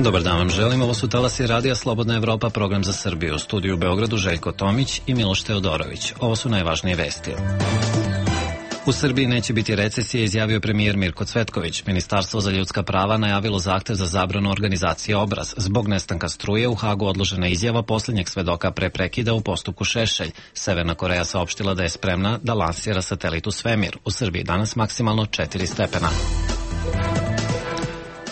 Dobar dan vam želim, ovo su talasi Radija Slobodna Evropa, program za Srbiju. U studiju u Beogradu Željko Tomić i Miloš Teodorović. Ovo su najvažnije vesti. U Srbiji neće biti recesije, izjavio premijer Mirko Cvetković. Ministarstvo za ljudska prava najavilo zahtev za zabranu organizacije Obraz. Zbog nestanka struje u Hagu odložena izjava posljednjeg svedoka pre prekida u postupku Šešelj. Severna Koreja saopštila da je spremna da lansira satelit u svemir. U Srbiji danas maksimalno 4 stepena.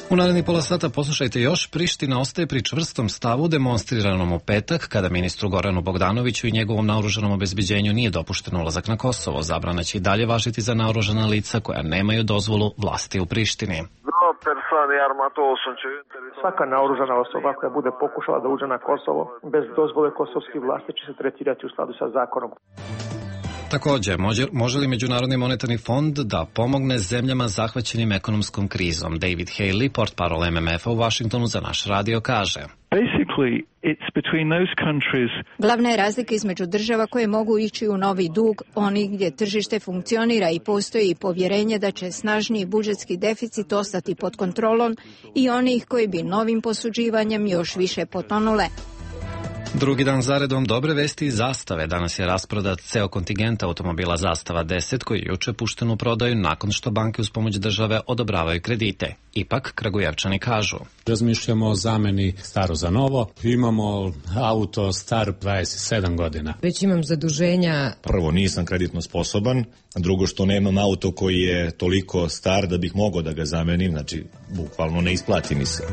U narednih pola sata poslušajte još. Priština ostaje pri čvrstom stavu demonstriranom u petak, kada ministru Goranu Bogdanoviću i njegovom naoružanom obezbeđenju nije dopušten ulazak na Kosovo. Zabrana će i dalje važiti za naoružana lica koja nemaju dozvolu vlasti u Prištini. Svaka naoružana osoba koja bude pokušala da uđe na Kosovo bez dozvole kosovskih vlasti će se tretirati u skladu sa zakonom. Također, može li Međunarodni monetarni fond da pomogne zemljama zahvaćenim ekonomskom krizom? David Haley, portparol MMF-a u Vašingtonu za naš radio, kaže: Glavna je razlika između država koje mogu ići u novi dug, onih gdje tržište funkcionira i postoji povjerenje da će snažniji budžetski deficit ostati pod kontrolom, i onih koji bi novim posuđivanjem još više potonule. Drugi dan zaredom dobre vesti i Zastave. Danas je rasprodat ceo kontingent automobila Zastava 10 koji je juče pušten u prodaju nakon što banke uz pomoć države odobravaju kredite. Ipak, Kragujevčani kažu: razmišljamo o zameni staro za novo. Imamo auto star 27 godina. Već imam zaduženja. Prvo, nisam kreditno sposoban. Drugo, što nemam auto koji je toliko star da bih mogao da ga zamenim. Znači, bukvalno ne isplati mi se.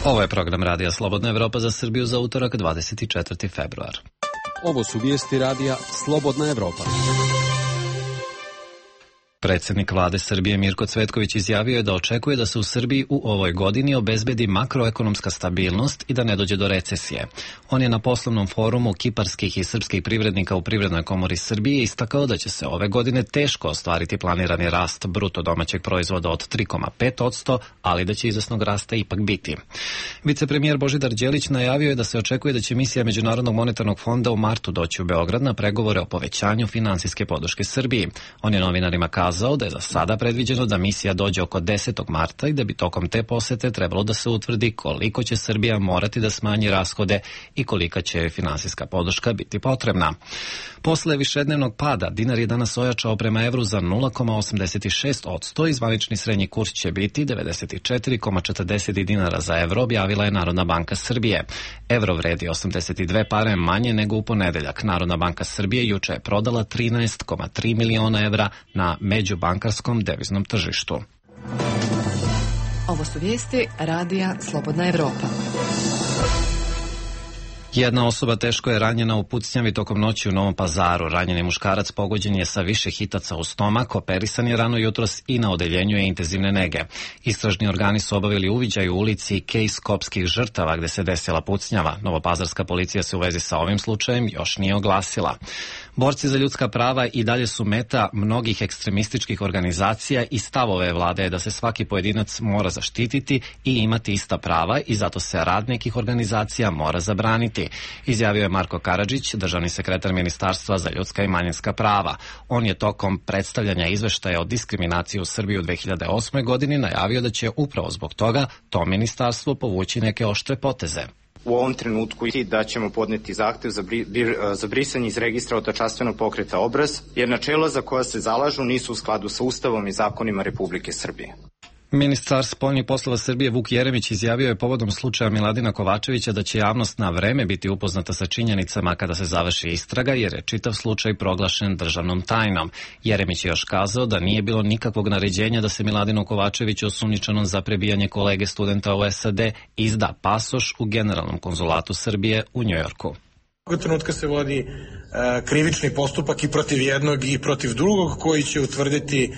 Ovo je program Radija Slobodna Evropa za Srbiju za utorak 24. februar. Ovo su vijesti Radija Slobodna Evropa. Predsjednik vlade Srbije Mirko Cvetković izjavio je da očekuje da se u Srbiji u ovoj godini obezbedi makroekonomska stabilnost i da ne dođe do recesije. On je na poslovnom forumu kiparskih i srpskih privrednika u Privrednoj komori Srbije istakao da će se ove godine teško ostvariti planirani rast bruto domaćeg proizvoda od 3,5%, ali da će izvesnog rasta ipak biti. Vicepremijer Božidar Đelić najavio je da se očekuje da će misija Međunarodnog monetarnog fonda u martu doći u Beograd na pregovore o povećanju finansijske podrške Srbiji. On je novinarima kazao da je za sada predviđeno da misija dođe oko 10. marta i da bi tokom te posete trebalo da se utvrdi koliko će Srbija morati da smanji rashode i kolika će finansijska podrška biti potrebna. Posle višednevnog pada, dinar je danas ojačao prema evru za 0,86% i zvanični srednji kurs će biti 94,40 dinara za evro, objavila je Narodna banka Srbije. Evro vredi 82 pare manje nego u ponedeljak. Narodna banka Srbije juče je prodala 13,3 miliona evra na međubankarskom deviznom tržištu. Ovo su vijesti Radija Slobodna Evropa. Jedna osoba teško je ranjena u pucnjavi tokom noći u Novom Pazaru. Ranjeni muškarac pogođen je sa više hitaca u stomak, operisan je rano jutros i na odeljenju je intenzivne nege. Istražni organi su obavili uviđaj u ulici Kej Skopskih žrtava gde se desila pucnjava. Novopazarska policija se u vezi sa ovim slučajem još nije oglasila. Borci za ljudska prava i dalje su meta mnogih ekstremističkih organizacija i stavove vlade je da se svaki pojedinac mora zaštititi i imati ista prava i zato se rad nekih organizacija mora zabraniti, izjavio je Marko Karadžić, državni sekretar Ministarstva za ljudska i manjinska prava. On je tokom predstavljanja izveštaja o diskriminaciji u Srbiji u 2008. godini najavio da će upravo zbog toga to ministarstvo povući neke oštre poteze. U ovom trenutku da ćemo podneti zahtev za brisanje iz registra otačanstvenog pokreta Obraz, jer načela za koja se zalažu nisu u skladu sa Ustavom i zakonima Republike Srbije. Ministar spoljnih poslova Srbije Vuk Jeremić izjavio je povodom slučaja Miladina Kovačevića da će javnost na vreme biti upoznata sa činjenicama kada se završi istraga, jer je čitav slučaj proglašen državnom tajnom. Jeremić je još kazao da nije bilo nikakvog naređenja da se Miladinu Kovačeviću, osumnjičenom za prebijanje kolege studenta u SAD, izda pasoš u Generalnom konzulatu Srbije u Njujorku. Ovog trenutka se vodi krivični postupak i protiv jednog i protiv drugog koji će utvrditi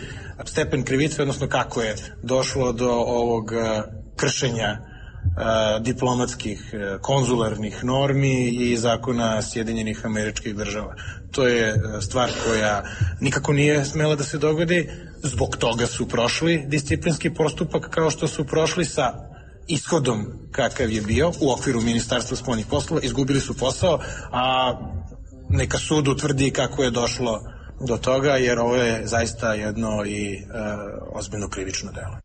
stepen krivice, odnosno kako je došlo do ovog kršenja diplomatskih, konzularnih normi i zakona Sjedinjenih Američkih Država. To je stvar koja nikako nije smela da se dogodi, zbog toga su prošli disciplinski postupak kao što su prošli sa ishodom kakav je bio u okviru Ministarstva spoljnih poslova, izgubili su posao, a neka sud utvrdi kako je došlo do toga, jer ovo je zaista jedno i ozbiljno krivično delo.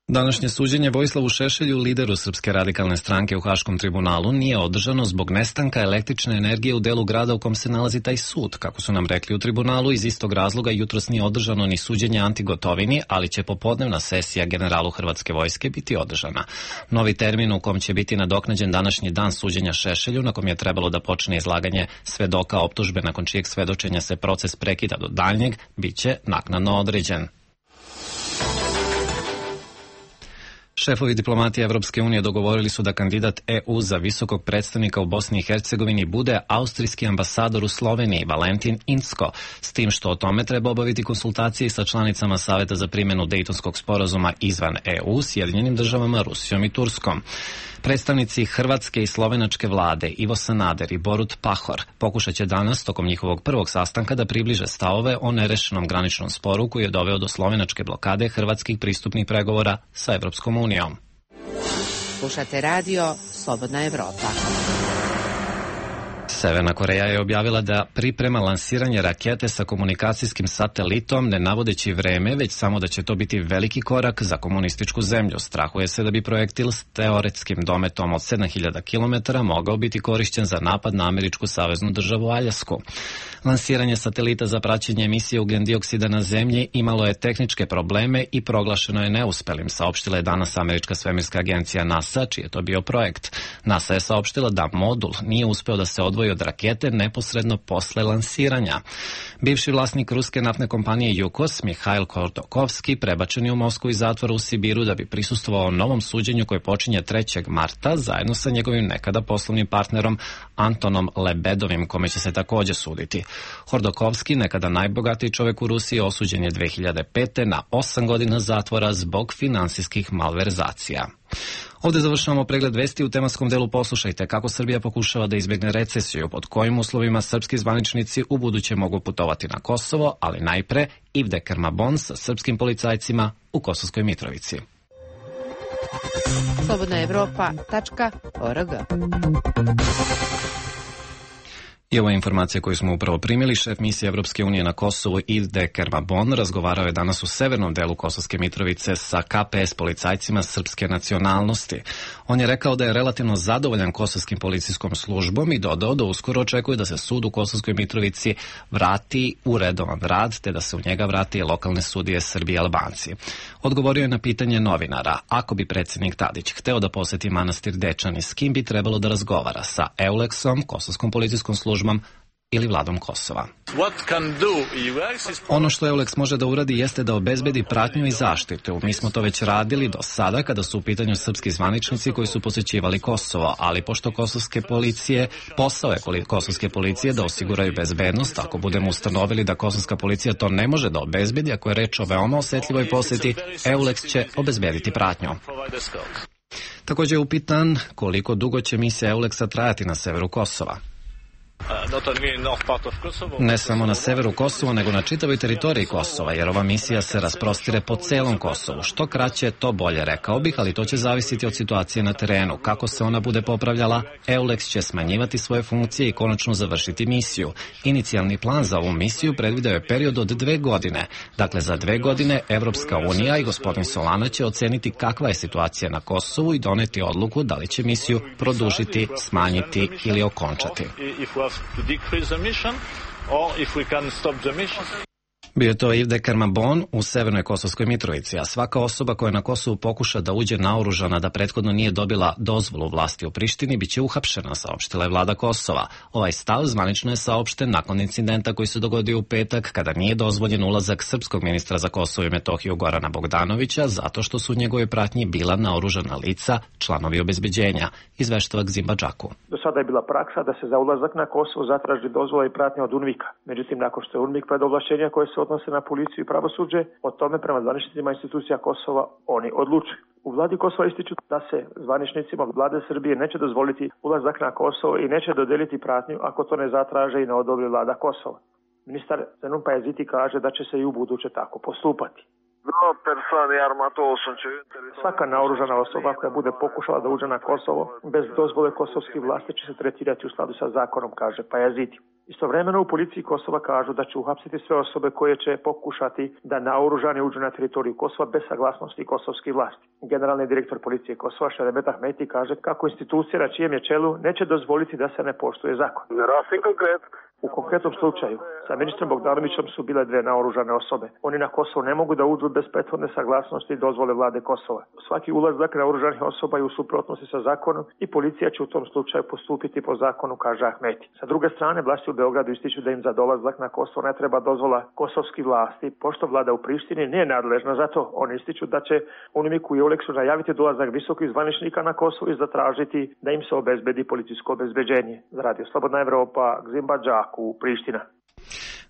Današnje suđenje Vojislavu Šešelju, lideru Srpske radikalne stranke u Haškom tribunalu, nije održano zbog nestanka električne energije u delu grada u kom se nalazi taj sud. Kako su nam rekli u tribunalu, iz istog razloga jutros nije održano ni suđenje Anti Gotovini, ali će popodnevna sesija generalu Hrvatske vojske biti održana. Novi termin u kom će biti nadoknađen današnji dan suđenja Šešelju, na kom je trebalo da počne izlaganje svedoka optužbe, nakon čijeg svedočenja se proces prekida do daljnjeg, bit će naknadno određen. Šefovi diplomatije Evropske unije dogovorili su da kandidat EU za visokog predstavnika u Bosni i Hercegovini bude austrijski ambasador u Sloveniji, Valentin Incko, s tim što o tome treba obaviti konsultacije sa članicama Saveta za primjenu Dejtonskog sporazuma izvan EU, Sjedinjenim državama, Rusijom i Turskom. Predstavnici hrvatske i slovenačke vlade Ivo Sanader i Borut Pahor pokušat će danas, tokom njihovog prvog sastanka, da približe stavove o nerešenom graničnom sporu koji je doveo do slovenačke blokade hrvatskih pristupnih pregovora sa Evropskom unijom. Slušate radio Slobodna Evropa. Severna Koreja je objavila da priprema lansiranje rakete sa komunikacijskim satelitom, ne navodeći vreme, već samo da će to biti veliki korak za komunističku zemlju. Strahuje se da bi projektil s teoretskim dometom od 7000 km mogao biti korišćen za napad na američku saveznu državu Aljasku. Lansiranje satelita za praćenje emisije ugljen-dioksida na zemlji imalo je tehničke probleme i proglašeno je neuspelim, saopštila je danas američka svemirska agencija NASA, čiji je to bio projekt. NASA je saopštila da modul nije uspeo da se odvoji od rakete neposredno posle lansiranja. Bivši vlasnik ruske naftne kompanije Yukos, Mihail Kordokovski, prebačen je u Moskvu iz zatvora u Sibiru da bi prisustvovao novom suđenju koje počinje 3. marta zajedno sa njegovim nekada poslovnim partnerom Antonom Lebedovim, kome će se takođe suditi. Hordokovski, nekada najbogatiji čovjek u Rusiji, osuđen je 2005. na 8 godina zatvora zbog finansijskih malverzacija. Ovdje završavamo pregled vesti. U tematskom delu poslušajte kako Srbija pokušava da izbjegne recesiju, pod kojim uslovima srpski zvaničnici u buduće mogu putovati na Kosovo, ali najpre Ivde Kermabon sa srpskim policajcima u Kosovskoj Mitrovici. slobodnaevropa.org. I ovo je informacija koju smo upravo primili. Šef misije Evropske unije na Kosovu Ivde Kermabon razgovarao je danas u severnom delu Kosovske Mitrovice sa KPS policajcima srpske nacionalnosti. On je rekao da je relativno zadovoljan kosovskim policijskom službom i dodao da uskoro očekuje da se sud u Kosovskoj Mitrovici vrati u redovan rad, te da se u njega vrati lokalne sudije Srbi i Albanci. Odgovorio je na pitanje novinara, ako bi predsjednik Tadić hteo da poseti manastir Dečani, s kim bi trebalo da razgovara, sa EULEX-om, Kosovskom policijskom službom ili vladom Kosova. Ono što EULEX može da uradi jeste da obezbedi pratnju i zaštitu. Mi smo to već radili do sada kada su u pitanju srpski zvaničnici koji su posećivali Kosovo, ali pošto posao je kosovske policije da osiguraju bezbednost, ako budemo ustanovili da kosovska policija to ne može da obezbedi, ako je reč o veoma osetljivoj poseti, EULEX će obezbediti pratnju. Također je upitan koliko dugo će misija EULEX-a trajati na severu Kosova. Ne samo na severu Kosova, nego na čitavoj teritoriji Kosova, jer ova misija se rasprostire po celom Kosovu. Što kraće, to bolje, rekao bih, ali to će zavisiti od situacije na terenu. Kako se ona bude popravljala, EULEX će smanjivati svoje funkcije i konačno završiti misiju. Inicijalni plan za ovu misiju predvideo je period od 2 godine. Dakle, za 2 godine Evropska unija i gospodin Solana će oceniti kakva je situacija na Kosovu i doneti odluku da li će misiju produžiti, smanjiti ili okončati. Bio je to Ivde Kermabon u severnoj Kosovskoj Mitrovici, a svaka osoba koja na Kosovu pokuša da uđe naoružana da prethodno nije dobila dozvolu vlasti u Prištini biće uhapšena, saopštila je vlada Kosova. Ovaj stav zvanično je saopšten nakon incidenta koji se dogodio u petak kada nije dozvoljen ulazak srpskog ministra za Kosovo i Metohiju Gorana Bogdanovića zato što su u njegovoj pratnji bila naoružana lica, članovi obezbeđenja, izveštava Gzimba Džaku. Do sada je bila praksa da se za ulazak na Kosovo zatraži dozvola i pratnja od UNMIK-a. Međutim, nakon što je UNMIK pred ovlašćenja koje se odnose na policiju i pravosuđe, o tome prema zvaničnicima institucija Kosova oni odlučuju. U vladi Kosova ističu da se zvaničnicima vlade Srbije neće dozvoliti ulazak na Kosovo i neće dodeliti pratnju ako to ne zatraže i ne odobri vlada Kosova. Ministar Zenon Pajaziti kaže da će se i u buduće tako postupati. Svaka naoružana osoba koja bude pokušala da uđe na Kosovo bez dozvole kosovskih vlasti će se tretirati u skladu sa zakonom, kaže Pajaziti. Istovremeno u policiji Kosova kažu da će uhapsiti sve osobe koje će pokušati da naoružani uđu na teritoriju Kosova bez saglasnosti kosovskih vlasti. Generalni direktor policije Kosova Šeremet Ahmeti kaže kako institucija na čijem je čelu neće dozvoliti da se ne poštuje zakon. U konkretnom slučaju sa ministrom Bogdanovićem su bile dve naoružane osobe. Oni na Kosovo ne mogu da uđu bez prethodne saglasnosti i dozvole vlade Kosova. Svaki ulazak naoružanih osoba je u suprotnosti sa zakonom i policija će u tom slučaju postupiti po zakonu, kaže Ahmeti. Sa druge strane, vlasti u Beogradu ističu da im za dolazak na Kosovo ne treba dozvola kosovskih vlasti, pošto vlada u Prištini nije nadležna za to. Oni ističu da će UNMIK i EULEX-u najaviti dolazak visokih zvaničnika na Kosovo i zatražiti da im se obezbedi policijsko obezbeđenje. Za Radio Slobodna Evropa, Gzim Badžaku, Priština.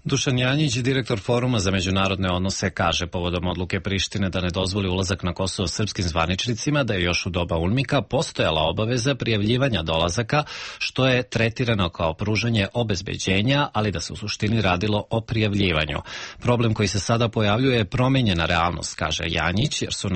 Dušan Janjić, direktor Foruma za međunarodne odnose, kaže povodom odluke Prištine da ne dozvoli ulazak na Kosovo srpskim zvaničnicima da je još u doba UNMIK-a postojala obaveza prijavljivanja dolazaka, što je tretirano kao pružanje obezbeđenja, ali da se u suštini radilo o prijavljivanju. Problem koji se sada pojavljuje je promenjena realnost, kaže Janjić, jer su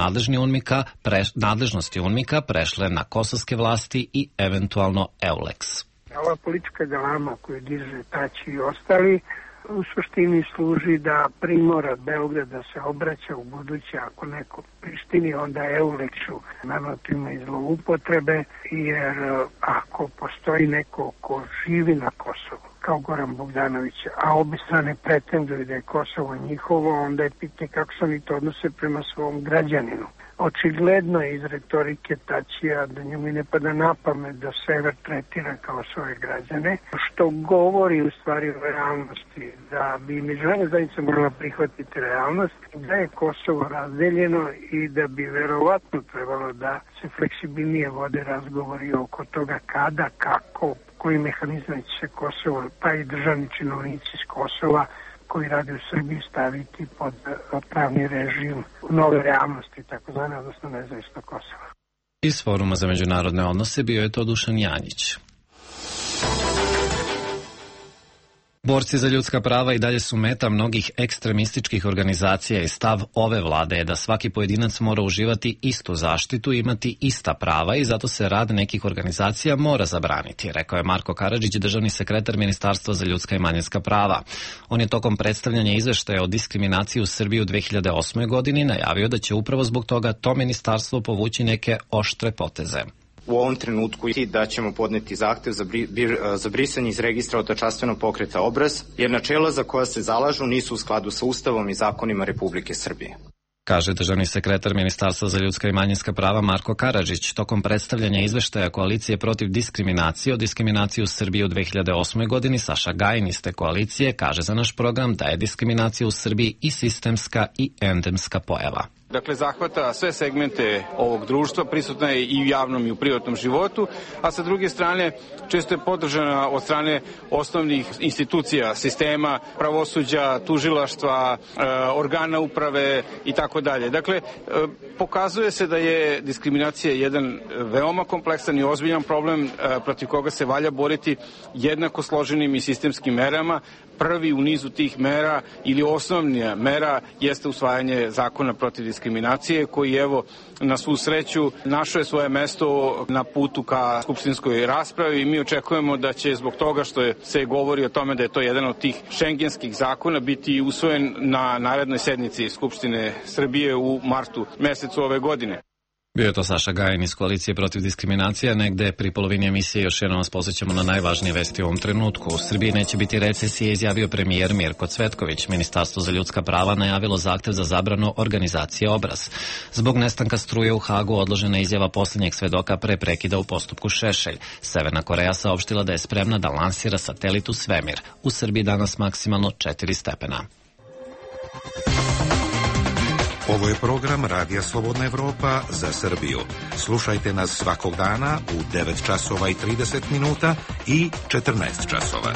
nadležnosti UNMIK-a prešle na kosovske vlasti i eventualno EULEX. Ova politička galama koju diže Tači i ostali u suštini služi da primora Beograd da se obraća u buduće ako neko Prištini, onda EULEX-u nanotima i zloupotrebe, jer ako postoji neko ko živi na Kosovu, kao Goran Bogdanović, a obe strane pretenduju da je Kosovo njihovo, onda je pitanje kako se oni to odnose prema svom građaninu. Očigledno je iz retorike Tačija da njemu ne pada na pamet da sever tretira kao svoje građane, što govori u stvari o realnosti, da bi međunarodna zajednica morala prihvatiti realnost, da je Kosovo razdeljeno i da bi verovatno trebalo da se fleksibilnije vode razgovori oko toga kada, kako, koji mehanizam će se Kosovo, pa i državni činovnici iz Kosova koji rade u Srbiji staviti pod pravni režim nove realnosti, takozvane, odnosno nezavisno Kosova. Iz Foruma za međunarodne odnose bio je to Dušan Janjić. Borci za ljudska prava i dalje su meta mnogih ekstremističkih organizacija i stav ove vlade je da svaki pojedinac mora uživati istu zaštitu i imati ista prava i zato se rad nekih organizacija mora zabraniti, rekao je Marko Karadžić, državni sekretar Ministarstva za ljudska i manjinska prava. On je tokom predstavljanja izveštaja o diskriminaciji u Srbiji u 2008. godini najavio da će upravo zbog toga to ministarstvo povući neke oštre poteze. U ovom trenutku da ćemo podneti zahtev za brisanje iz registra otačanstvenog pokreta Obraz, jer načela za koja se zalažu nisu u skladu sa Ustavom i zakonima Republike Srbije. Kaže državni sekretar Ministarstva za ljudska i manjinska prava Marko Karadžić. Tokom predstavljanja izveštaja Koalicije protiv diskriminacije o diskriminaciji u Srbiji u 2008. godini, Saša Gajin iz te koalicije kaže za naš program da je diskriminacija u Srbiji i sistemska i endemska pojava. Dakle, zahvata sve segmente ovog društva, prisutna je i u javnom i u privatnom životu, a sa druge strane često je podržana od strane osnovnih institucija, sistema, pravosuđa, tužilaštva, organa uprave i tako dalje. Dakle, pokazuje se da je diskriminacija jedan veoma kompleksan i ozbiljan problem protiv koga se valja boriti jednako složenim i sistemskim merama. Prvi u nizu tih mera ili osnovnija mera jeste usvajanje zakona protiv diskriminacije koji, evo, na svu sreću našao je svoje mesto na putu ka skupštinskoj raspravi i mi očekujemo da će zbog toga što se govori o tome da je to jedan od tih šengenskih zakona biti usvojen na narednoj sednici Skupštine Srbije u martu mesecu ove godine. Bio je to Saša Gajin iz Koalicije protiv diskriminacije, negde pri polovini emisije još jednom vas posjećamo na najvažnije vesti u ovom trenutku. U Srbiji neće biti recesije, izjavio premijer Mirko Cvetković. Ministarstvo za ljudska prava najavilo zahtev za zabranu organizacije Obraz. Zbog nestanka struje u Hagu odložena izjava posljednjeg svedoka pre prekida u postupku Šešelj. Severna Koreja saopštila da je spremna da lansira satelit u svemir. U Srbiji danas maksimalno 4 stepena. Ovo je program Radija Slobodna Evropa za Srbiju. Slušajte nas svakog dana u 9 časova i 30 minuta i 14 časova.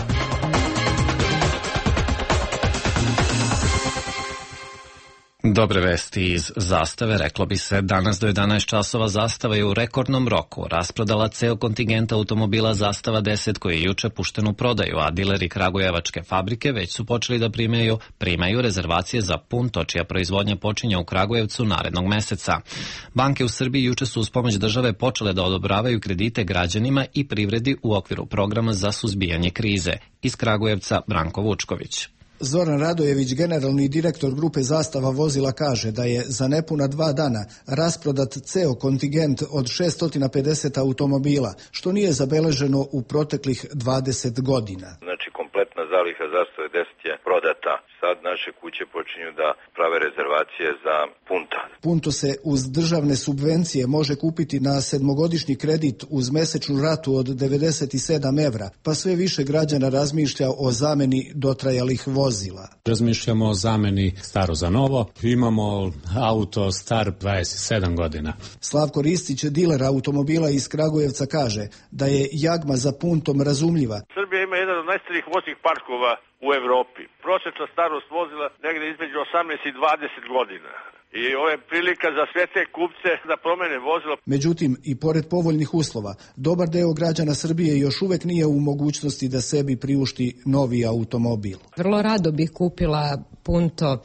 Dobre vesti iz Zastave, reklo bi se, danas do 11 časova Zastava je u rekordnom roku rasprodala ceo kontingent automobila Zastava 10 koji je juče pušten u prodaju, a dileri kragujevačke fabrike već su počeli da primaju rezervacije za Punto, čija proizvodnja počinje u Kragujevcu narednog meseca. Banke u Srbiji juče su uz pomoć države počele da odobravaju kredite građanima i privredi u okviru programa za suzbijanje krize. Iz Kragujevca Branko Vučković. Zoran Radojević, generalni direktor grupe Zastava vozila, kaže da je za nepuna 2 dana rasprodat ceo kontingent od 650 automobila, što nije zabeleženo u proteklih 20 godina. Znači, kompletna zaliha Zastave 10 je prodata. Sad naše kuće počinju da prave rezervacije za Punta. Punto se uz državne subvencije može kupiti na 7-godišnji kredit uz mesečnu ratu od 97 evra, pa sve više građana razmišlja o zameni dotrajalih vozila. Razmišljamo o zameni staro za novo. Imamo auto star 27 godina. Slavko Ristić, diler automobila iz Kragujevca, kaže da je jagma za Puntom razumljiva. Srbija ima jedan od najstarijih voznih parkova u Evropi. Prosječna starost vozila negde između 18 i 20 godina. I ovo je prilika za sve te kupce da promene vozilo. Međutim, i pored povoljnih uslova, dobar deo građana Srbije još uvek nije u mogućnosti da sebi priušti novi automobil. Vrlo rado bih kupila Punto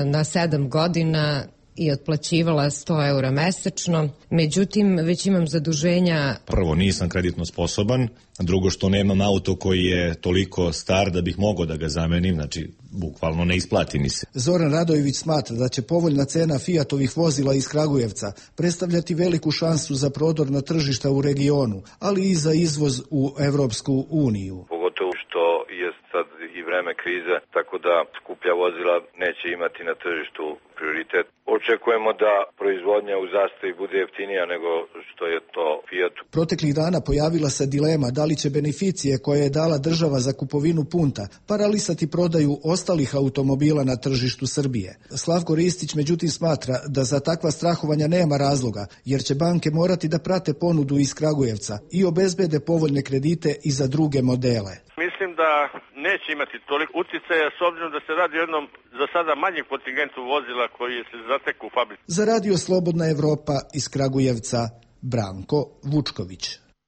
na 7 godina i otplaćivala 100 eura mesečno. Međutim, već imam zaduženja. Prvo, nisam kreditno sposoban. Drugo, što nemam auto koji je toliko star da bih mogao da ga zamenim. Znači, bukvalno ne isplati mi se. Zoran Radojević smatra da će povoljna cena Fiatovih vozila iz Kragujevca predstavljati veliku šansu za prodor na tržišta u regionu, ali i za izvoz u Evropsku uniju. Pogotovo što je sad i vreme krize, tako da skuplja vozila neće imati na tržištu prioritet. Očekujemo da proizvodnja u Zastavi bude jeftinija nego što je to Fiatu. Proteklih dana pojavila se dilema da li će beneficije koje je dala država za kupovinu Punta paralisati prodaju ostalih automobila na tržištu Srbije. Slavko Ristić međutim smatra da za takva strahovanja nema razloga, jer će banke morati da prate ponudu iz Kragujevca i obezbede povoljne kredite i za druge modele. Mislim da neće imati toliko uticaja s obzirom da se radi o jednom za sada manjem kontingentu vozila koji se zateku u fabrici. Za Radio Slobodna Evropa iz Kragujevca Branko Vučković.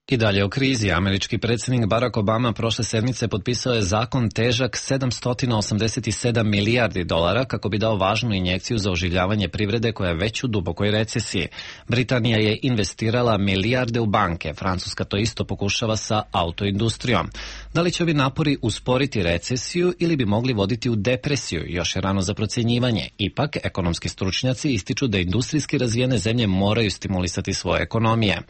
I dalje o krizi. Američki predsjednik Barack Obama prošle sedmice potpisao je zakon težak $787 milijardi kako bi dao važnu injekciju za oživljavanje privrede koja je već u dubokoj recesiji. Britanija je investirala milijarde u banke. Francuska to isto pokušava sa autoindustrijom. Da li će ovi napori usporiti recesiju ili bi mogli voditi u depresiju? Još je rano za procjenjivanje. Ipak, ekonomski stručnjaci ističu da industrijski razvijene zemlje moraju stimulisati svoje ekonomije.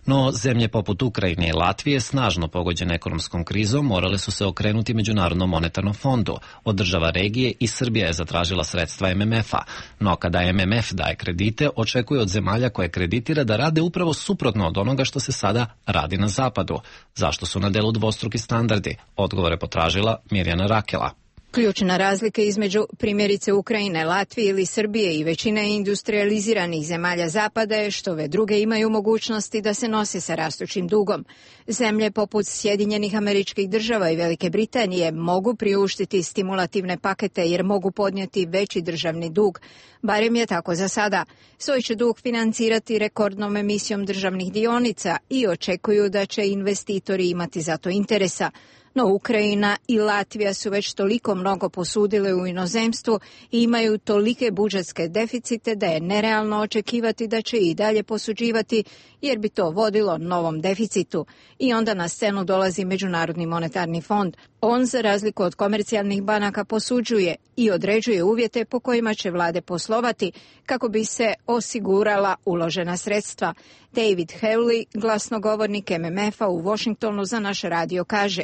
No, zemlje poput Ukrajine i Latvije, snažno pogođene ekonomskom krizom, morale su se okrenuti Međunarodnom monetarnom fondu. Od država regije i Srbija je zatražila sredstva MMF-a. No kada MMF daje kredite, očekuje od zemalja koje kreditira da rade upravo suprotno od onoga što se sada radi na zapadu. Zašto su na delu dvostruki standardi? Odgovore potražila Mirjana Rakela. Ključna razlika između primjerice Ukrajine, Latvije ili Srbije i većine industrializiranih zemalja Zapada je što ove druge imaju mogućnosti da se nose sa rastućim dugom. Zemlje poput Sjedinjenih Američkih Država i Velike Britanije mogu priuštiti stimulativne pakete jer mogu podnijeti veći državni dug. Barem je tako za sada. Svoj će dug financirati rekordnom emisijom državnih dionica i očekuju da će investitori imati za to interesa. No Ukrajina i Latvija su već toliko mnogo posudile u inozemstvu i imaju tolike budžetske deficite da je nerealno očekivati da će i dalje posuđivati jer bi to vodilo novom deficitu. I onda na scenu dolazi Međunarodni monetarni fond. On, za razliku od komercijalnih banaka, posuđuje i određuje uvjete po kojima će vlade poslovati kako bi se osigurala uložena sredstva. David Hewley, glasnogovornik MMF-a u Washingtonu za naš radio, kaže: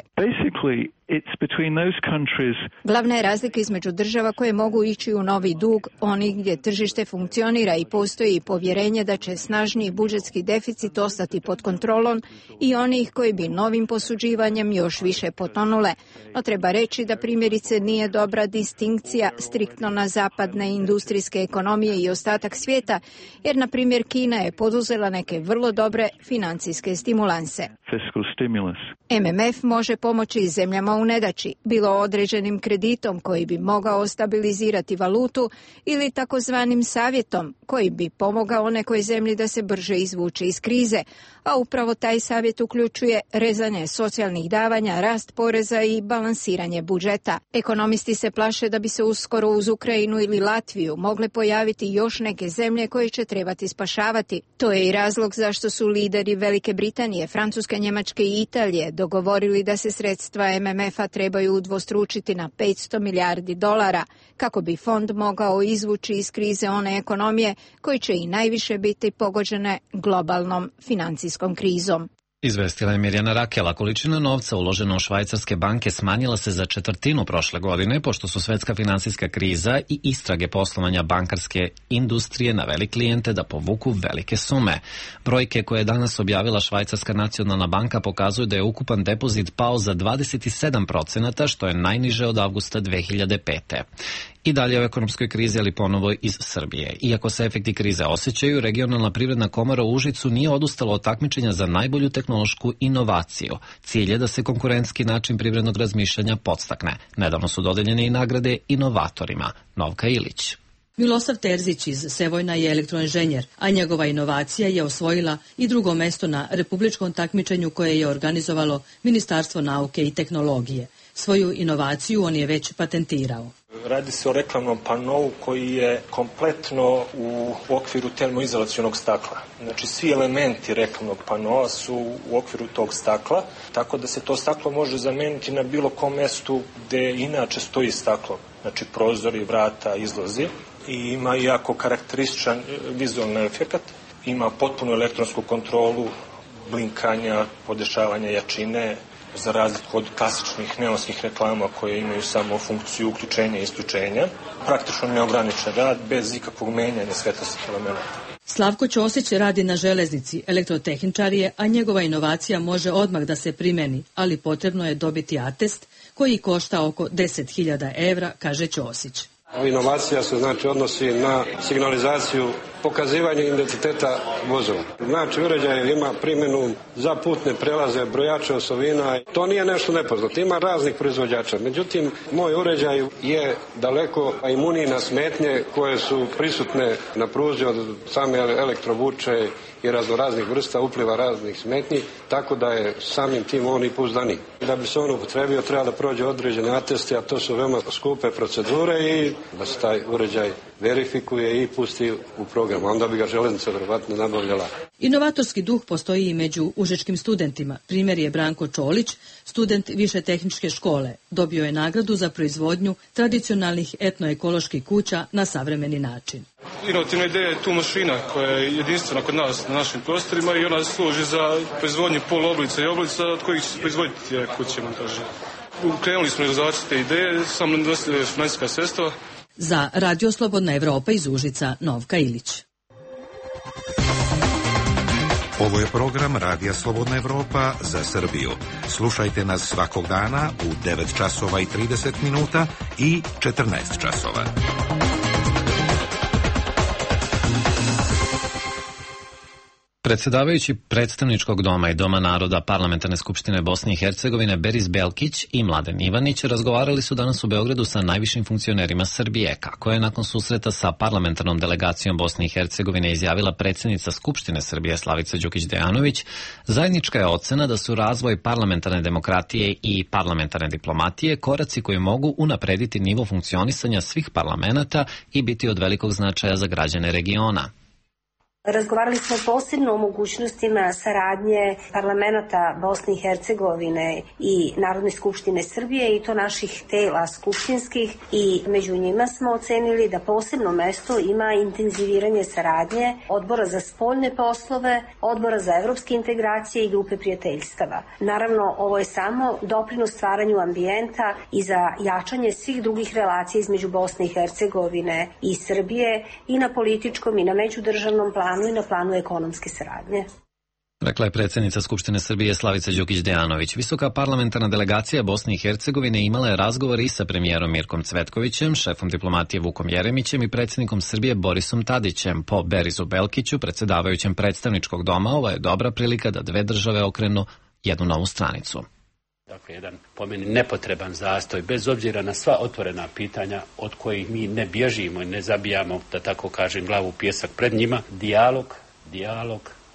Glavna je razlika između država koje mogu ići u novi dug, onih gdje tržište funkcionira i postoji povjerenje da će snažniji budžetski deficit ostati pod kontrolom, i onih koji bi novim posuđivanjem još više potonule. No treba reći da primjerice nije dobra distinkcija striktno na zapadne industrijske ekonomije i ostatak svijeta, jer na primjer Kina je poduzela neke vrlo dobre financijske stimulanse. fiscal stimulus. MMF može pomoći zemljama u nedaći, bilo određenim kreditom koji bi mogao stabilizirati valutu ili takozvanim savjetom koji bi pomogao nekoj zemlji da se brže izvuče iz krize, a upravo taj savjet uključuje rezanje socijalnih davanja, rast poreza i balansiranje budžeta. Ekonomisti se plaše da bi se uskoro uz Ukrajinu ili Latviju mogle pojaviti još neke zemlje koje će trebati spašavati. To je i razlog zašto su lideri Velike Britanije, Francuske, Njemačke i Italije dogovorili da se sredstva MMF-a trebaju udvostručiti na $500 milijardi kako bi fond mogao izvući iz krize one ekonomije koji će i najviše biti pogođene globalnom financijskom krizom. Izvestila je Mirjana Rakela. Količina novca uložena u švajcarske banke smanjila se za 1/4 prošle godine, pošto su svetska finansijska kriza i istrage poslovanja bankarske industrije naveli klijente da povuku velike sume. Brojke koje je danas objavila Švajcarska nacionalna banka pokazuju da je ukupan depozit pao za 27%, što je najniže od avgusta 2005. I dalje o ekonomskoj krizi, ali ponovo iz Srbije. Iako se efekti krize osjećaju, regionalna privredna komora u Užicu nije odustala od takmičenja za najbolju tehnološku inovaciju. Cilj je da se konkurentski način privrednog razmišljanja podstakne. Nedavno su dodeljene i nagrade inovatorima. Novka Ilić. Milosav Terzić iz Sevojna je elektroinženjer, a njegova inovacija je osvojila i drugo mesto na republičkom takmičenju koje je organizovalo Ministarstvo nauke i tehnologije. Svoju inovaciju on je već patentirao. Radi se o reklamnom panovu koji je kompletno u okviru termoizolacionog stakla. Znači svi elementi reklamnog panova su u okviru tog stakla, tako da se to staklo može zameniti na bilo kom mestu gde inače stoji staklo. Znači prozori, vrata, izlazi. I ima jako karakterističan vizualni efekat. Ima potpunu elektronsku kontrolu blinkanja, podešavanja jačine, za razliku od klasičnih neonskih reklama koje imaju samo funkciju uključenja i isključenja. Praktično neograničen rad bez ikakvog menjanja svetlosnih elementa. Slavko Ćosić radi na železnici, elektrotehničar je, a njegova inovacija može odmah da se primeni, ali potrebno je dobiti atest koji košta oko 10.000 evra, kaže Ćosić. Inovacija se odnosi na signalizaciju pokazivanje identiteta vozila. Znači uređaj ima primjenu za putne prelaze, brojače osovina. To nije nešto nepoznato. Ima raznih proizvođača. Međutim, moj uređaj je daleko imuniji na smetnje koje su prisutne na pruzi od same elektrovuče i raznoraznih vrsta upliva raznih smetnji, tako da je samim tim on i pouzdaniji. Da bi se on upotrebio treba da prođe određene ateste, a to su veoma skupe procedure i da se taj uređaj verifikuje i pusti u program. Onda bi ga železnica verovatno nabavljala. Inovatorski duh postoji i među užičkim studentima. Primjer je Branko Čolić, student više tehničke škole. Dobio je nagradu za proizvodnju tradicionalnih etnoekoloških kuća na savremeni način. Inovativna ideja je tu mašina koja je jedinstvena kod nas na našim prostorima i ona služi za proizvodnju poluoblica i oblica od kojih će se proizvoditi kuće montaže. Krenuli smo realizaciju te ideje, samo nedostaje finansijska sredstva. Za Radio Slobodna Evropa iz Užica, Novka Ilić. Ovo je program Radija Slobodna Evropa za Srbiju. Slušajte nas svakog dana u 9 časova i 30 minuta i 14 časova. Predsjedavajući Predstavničkog doma i Doma naroda Parlamentarne skupštine Bosne i Hercegovine Beris Belkić i Mladen Ivanić razgovarali su danas u Beogradu sa najvišim funkcionerima Srbije. Kako je nakon susreta sa parlamentarnom delegacijom Bosne i Hercegovine izjavila predsjednica Skupštine Srbije Slavica Đukić-Dejanović, zajednička je ocena da su razvoj parlamentarne demokratije i parlamentarne diplomatije koraci koji mogu unaprediti nivo funkcionisanja svih parlamenata i biti od velikog značaja za građane regiona. Razgovarali smo posebno o mogućnostima saradnje parlamenta Bosne i Hercegovine i Narodne skupštine Srbije i to naših tela skupštinskih i među njima smo ocenili da posebno mesto ima intenziviranje saradnje Odbora za spoljne poslove, Odbora za evropske integracije i grupe prijateljstava. Naravno, ovo je samo doprinos stvaranju ambijenta i za jačanje svih drugih relacija između Bosne i Hercegovine i Srbije i na političkom i na međudržavnom planu i na planu ekonomske saradnje. Rekla je predsjednica Skupštine Srbije Slavica Đukić-Dejanović. Visoka parlamentarna delegacija Bosne i Hercegovine imala je razgovor i sa premijerom Mirkom Cvetkovićem, šefom diplomatije Vukom Jeremićem i predsjednikom Srbije Borisom Tadićem. Po Berisu Belkiću, predsjedavajućem Predstavničkog doma, ovo je dobra prilika da dve države okrenu jednu novu stranicu. Dakle, jedan po meni nepotreban zastoj, bez obzira na sva otvorena pitanja od kojih mi ne bježimo i ne zabijamo, da tako kažem, glavu u pijesak pred njima. Dijalog,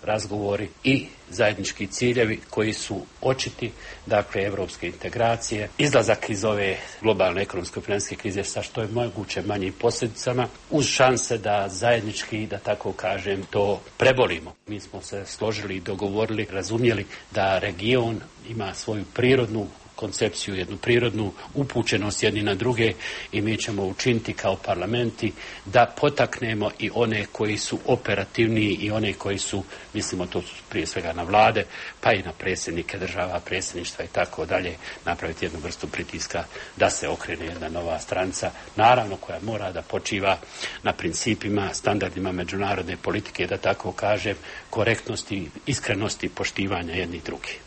razgovori i zajednički ciljevi koji su očiti, dakle, evropske integracije, izlazak iz ove globalne ekonomske i financijske krize sa što je moguće manjim posljedicama, uz šanse da zajednički, da tako kažem, to prebolimo. Mi smo se složili i dogovorili, razumjeli da region ima svoju prirodnu koncepciju, jednu prirodnu upućenost jedni na druge i mi ćemo učiniti kao parlamenti da potaknemo i one koji su operativniji i one koji su, mislimo to su prije svega na vlade, pa i na predsjednike država, predsjedništva i tako dalje, napraviti jednu vrstu pritiska da se okrene jedna nova stranica, naravno koja mora da počiva na principima, standardima međunarodne politike, da tako kažem, korektnosti, iskrenosti, poštivanja jednih drugih.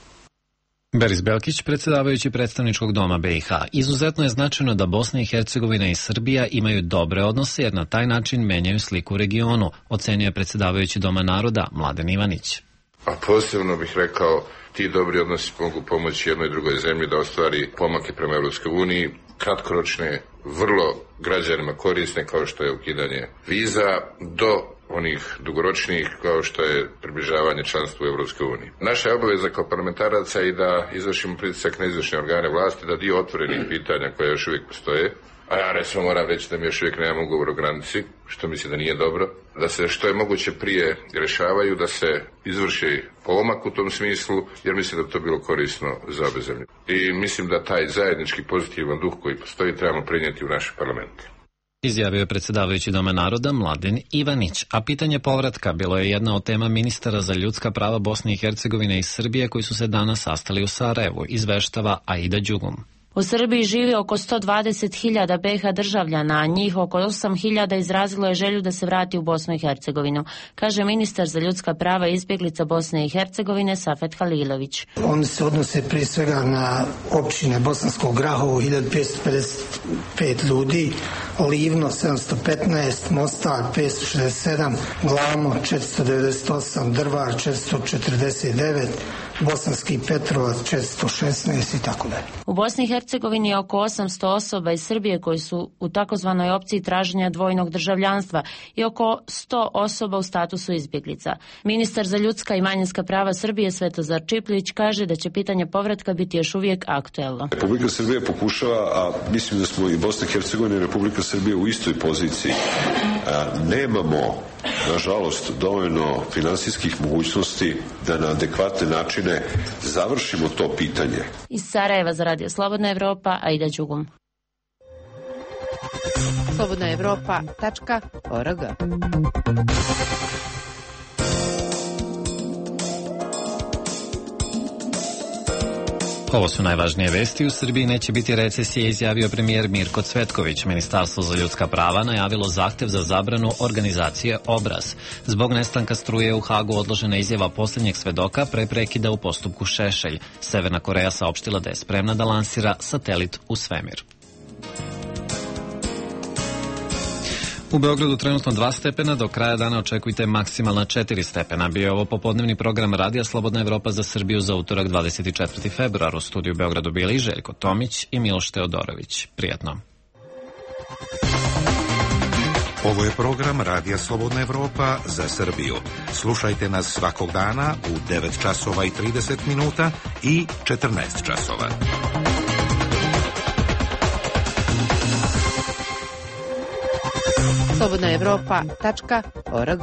Beris Belkić, predsjedavajući predstavničkog doma BiH. Izuzetno je značajno da Bosna i Hercegovina i Srbija imaju dobre odnose jer na taj način menjaju sliku u regionu, ocenio je predsjedavajući Doma naroda Mladen Ivanić. A posebno bih rekao, ti dobri odnosi mogu pomoći jednoj drugoj zemlji da ostvari pomake prema Europskoj uniji, kratkoročne, vrlo građanima korisne kao što je ukidanje viza, do onih dugoročnijih kao što je približavanje članstvu u Europskoj uniji. Naša je obaveza kao parlamentaraca i da izvršimo pritisak na izvršne organe vlasti, da dio otvorenih pitanja koje još uvijek postoje, a ja recimo moram reći da mi još uvijek nemamo ugovor o granici, što mislim da nije dobro, da se što je moguće prije rješavaju, da se izvrši pomak u tom smislu, jer mislim da bi to bilo korisno za obe zemlje. I mislim da taj zajednički pozitivan duh koji postoji trebamo prenijeti u naš parlament. Izjavio je predsjedavajući Doma naroda Mladen Ivanić, a pitanje povratka bilo je jedna od tema ministara za ljudska prava Bosne i Hercegovine i Srbije koji su se danas sastali u Sarajevu, izveštava Aida Đugum. U Srbiji živi oko 120.000 BiH državljana, a njih oko 8.000 izrazilo je želju da se vrati u Bosnu i Hercegovinu, kaže ministar za ljudska prava i izbjeglica Bosne i Hercegovine Safet Halilović. Oni se odnose prije svega na općine Bosanskog Grahovo 1555 ljudi, Livno 715, Mostar 567, Glamo 498, Drvar 449, Bosanski Petrovac 416 i tako dalje. U Bosni i Hercegovini je oko 800 osoba iz Srbije koji su u takozvanoj opciji traženja dvojnog državljanstva i oko 100 osoba u statusu izbjeglica. Ministar za ljudska i manjinska prava Srbije Svetozar Čiplić kaže da će pitanje povratka biti još uvijek aktuelno. Republika Srbije pokušava, a mislim da smo i Bosna i Hercegovina i Republika Srbije u istoj poziciji. Nemamo, nažalost, dovoljno finansijskih mogućnosti da na adekvatne načine završimo to pitanje. Iz Sarajeva za Radio Slobodna Evropa, Aida Đugum. slobodnaevropa.org. Ovo su najvažnije vesti. U Srbiji neće biti recesije, izjavio premijer Mirko Cvetković. Ministarstvo za ljudska prava najavilo zahtev za zabranu organizacije Obraz. Zbog nestanka struje u Hagu odložena izjava posljednjeg svedoka pre prekida u postupku Šešelj. Severna Koreja saopštila da je spremna da lansira satelit u svemir. U Beogradu trenutno 2 stepena, do kraja dana očekujte maksimalna 4 stepena. Bio je ovo popodnevni program Radija Slobodna Evropa za Srbiju za utorak 24. februar. U studiju u Beogradu bili Željko Tomić i Miloš Teodorović. Prijatno. Ovo je program Radija Slobodna Evropa za Srbiju. Slušajte nas svakog dana u 9 časova i 30 minuta i 14 časova. slobodnaevropa.org.